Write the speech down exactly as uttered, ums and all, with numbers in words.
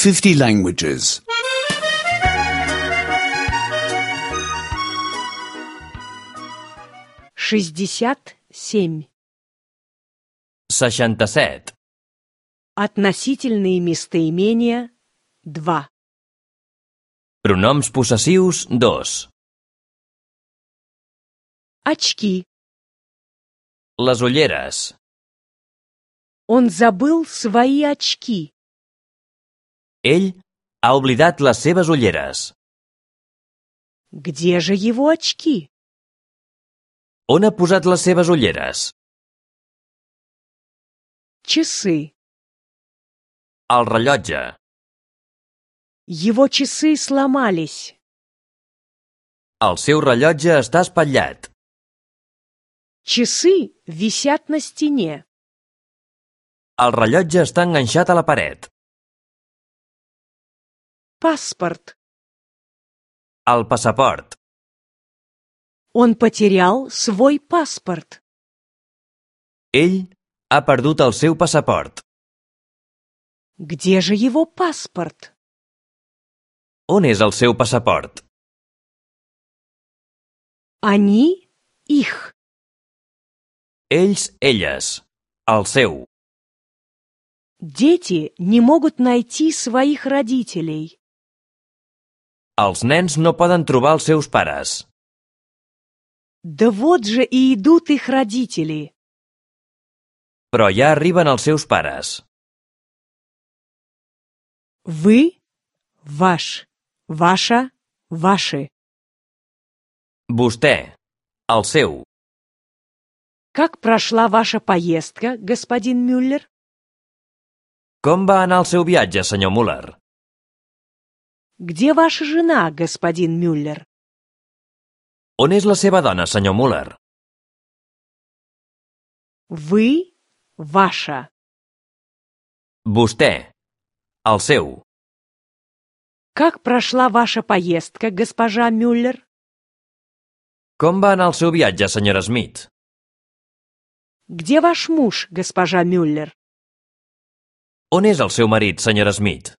fifty languages. шестьдесят семь. seixanta-set. Относительные местоимения два. Pronoms possessius dos. Очки. Les ulleres. Он забыл свои очки. Ell ha oblidat les seves ulleres. Где же его очки? On ha posat les seves ulleres? Часы. El rellotge. Его часы сломались. El seu rellotge està espatllat. Часы висят на стене. El rellotge està enganxat a la paret. Паспорт. El passaport. Он потерял свой паспорт. Ell ha perdut el seu passaport. Где же его паспорт? On és el seu passaport? Они, их. Ells, elles. El seu. Дети не могут найти своих родителей. Els nens no poden trobar els seus pares. Да вот же и идут их родители. Però ja arriben els seus pares. Вы, ваш, ваша, ваши. Vostè. El seu. Как прошла ваша поездка, господин Мюллер? Com va anar el seu viatge, senyor Müller? Где ваша жена, господин Мюллер? On és la seva dona, senyor Müller? Вы, ваша. Vostè. El seu. Как прошла ваша поездка, госпожа Мюллер? Com va anar el seu viatge, senyora Smith? Где ваш муж, госпожа Мюллер? On és el seu marit, senyora Smith?